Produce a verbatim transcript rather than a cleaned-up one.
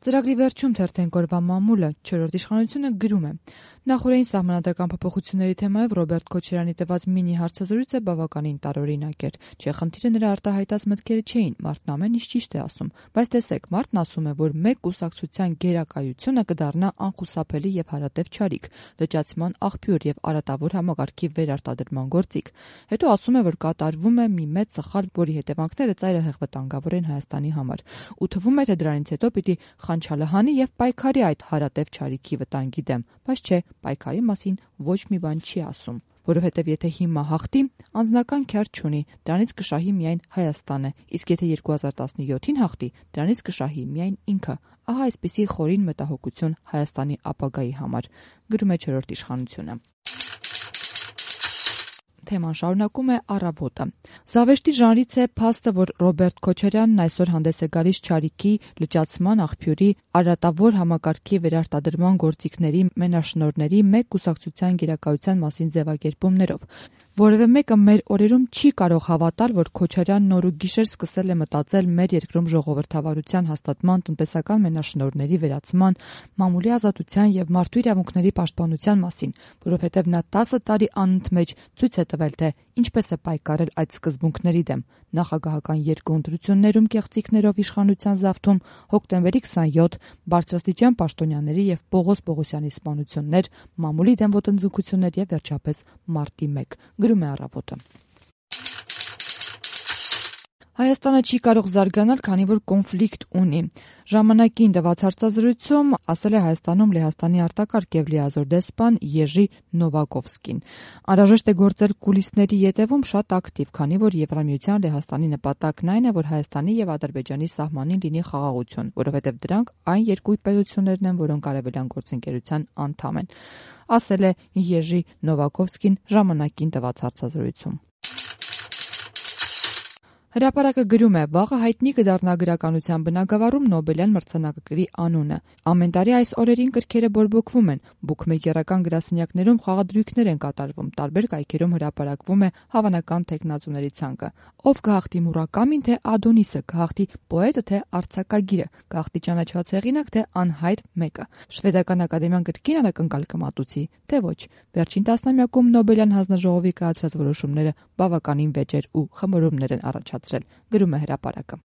Ծրագրի վերջում թերթենք օրվա մամուլը չորրորդ իշխանությունը գրում է. Նախորդին սահմանադրական փոփոխությունների թեմայով Ռոբերտ Քոչարյանի տված մինի հարցազրույցը բավականին տարօրինակ էր։ Չէ, խնդիրը նրա արտահայտած մտքերը չէին, մարդն ամեն ինչ ճիշտ է ասում, բայց տեսեք, մարդն ասում է, որ մեկ կուսակցության գերակայությունը կդառնա անխուսափելի եւ հարատև չարիք, լճացման աղբյուր եւ արատավոր համակարգի վերարտադրման գործիք։ Հետո ասում է, որ կատարվում է մի մեծ սխալ, որի հետևանքները ծայրահեղ վտանգավոր են Հայաստանի համար, ու թվում է, թե դրանից հետո պիտի խանչալհանի եւ պայքարի այդ հարատև չարիքի վտանգի դեմ, բայց չէ, պայքարի մասին ոչ մի բան չի ասում, որովհետեւ եթե հիմա հաղթի, անձնական քյար չունի, դրանից կշահի միայն Հայաստանը, իսկ եթե երկու հազար տասնյոթին հաղթի, դրանից կշահի միայն ինքը։ Ահա այսպիսի խորին մտահոգություն Հայաստանի ապագայի համար, գրում է չորրորդ իշխանությունը։ Թեման շարունակում է Առավոտը։ Զավեշտի ժանրից է փաստը, որ Ռոբերտ Քոչարյանն այսօր հանդես է գալիս չարիքի, լճացման աղբյուրի, արատավոր համակարգի վերարտադրման գործիքների մենաշնորհների մեկ կուսակցության գերակայության մասին ձևակերպումներով։ Որևէ մեկը մեր օրերում չի կարող հավատալ, որ Քոչարյանն օր ու գիշեր սկսել է մտածել մեր երկրում ժողովրդավարության հաստատման, տնտեսական մենաշնորհների վերացման, մամուլի ազատության եւ մարդու իրավունքների պաշտպանության մասին, որովհետեւ նա տասը տարի անընդմեջ ցույց է տվել, թե ինչպես է պայքարել այդ սկզբունքների դեմ։ Նախագահական երկու ընտրություններում կեղծիքներով իշխանության զավթում, հոկտեմբերի քսանյոթ, բարձրաստիճան պաշտոնյաների եւ Պողոս Պողոսյանի սպանություններ, մամուլի դեմ ոտնձգություններ եւ վերջապես մարտի մեկ, գրում է Առավոտը։ Հայաստանը չի կարող զարգանալ, քանի որ կոնֆլիկտ ունի։ Ժամանակին տված հարցազրույցում ասել է Հայաստանում Լեհաստանի արտակարգ եւ լիազոր դեսպան Եժի Նովակովսկին։ Անհրաժեշտ է գործել կուլիսների ետևում շատ ակտիվ, քանի որ Եվրամիության Լեհաստանի նպատակն այն է, որ Հայաստանի եւ Ադրբեջանի սահմանին լինի խաղաղություն, որովհետեւ դրանք այն երկու պետություններն են, որոնք արևելյան գործընկերության անդամ են, ասել է Եժի Նովակովսկին ժամանակին տված հարցազրույցում։ Հրապարակը գրում է. վաղը հայտնի կդառնա գրականության բնագավառում Նոբելյան մրցանակակիրի անունը։ Ամեն տարի այս օրերին կրքերը բորբոքվում են, բուքմեյքերական գրասենյակներում խաղադրույքներ են կատարվում, տարբեր կայքերում հրապարակվում է հավանական թեկնածուների ցանկը։ Ով կհաղթի Մուրակամին, թե Ադոնիսը, կհաղթի պոետը, թե արձակագիրը, կհաղթի ճանաչված հեղինակ, թե անհայտ մեկը։ Շվեդական ակադեմիան կրկին անակնկալ կմատուցի, թե ոչ։ Վերջին տասնամյակում Նոբելյան հանձնաժողովի կայացրած որոշումները բավականին վեճեր ու խմորումներ են առաջացրել, գրում է հրապարակը։